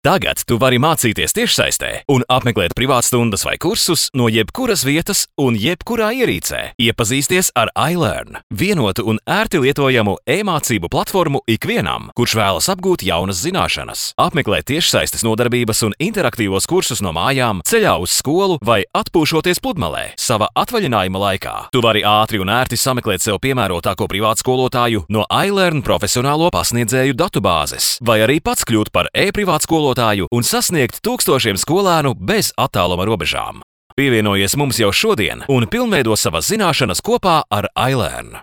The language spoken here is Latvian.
Tagad tu vari mācīties tiešsaistē un apmeklēt privātstundas vai kursus no jebkuras vietas un jebkurā ierīcē. Iepazīsties ar iLearn, vienotu un ērti lietojamu e-mācību platformu ikvienam, kurš vēlas apgūt jaunas zināšanas. Apmeklē tiešsaistes nodarbības un interaktīvos kursus no mājām, ceļā uz skolu vai atpūšoties pludmalē sava atvaļinājuma laikā. Tu vari ātri un ērti sameklēt sev piemērotāko privātskolotāju no iLearn profesionālo pasniedzēju datubāzes, vai arī pats kļūt par e-privātskolotāju un sasniegt tūkstošiem skolēnu bez attāluma robežām. Pievienojies mums jau šodien un pilnveido savas zināšanas kopā ar iLearn.